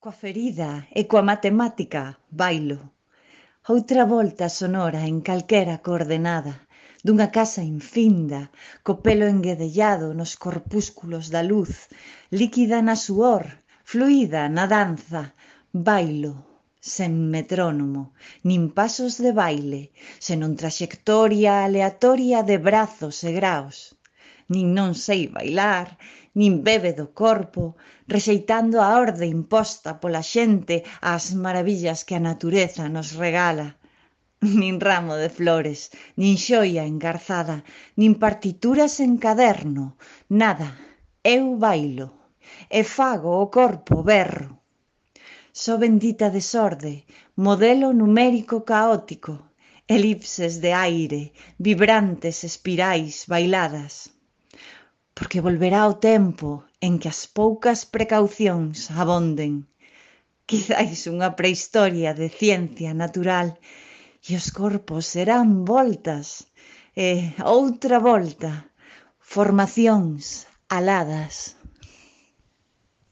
Coa ferida e coa matemática bailo. Outra volta sonora en calquera coordenada dunha casa infinda, co pelo enguedellado nos corpúsculos da luz, líquida na suor, fluída na danza, bailo, sen metrónomo, nin pasos de baile, senón traxectoria aleatoria de brazos e graos. Nin non sei bailar, nin bebe do corpo, rexeitando a orde imposta pola xente ás maravillas que a natureza nos regala. Nin ramo de flores, nin xoia engarzada, nin partituras en caderno, nada. Eu bailo e fago o corpo berro. Só bendita desorde, modelo numérico caótico, elipses de aire, vibrantes espirais bailadas. Porque volverá o tempo en que as poucas precaucións abonden. Quizáis unha prehistoria de ciencia natural e os corpos serán voltas e outra volta, formacións aladas.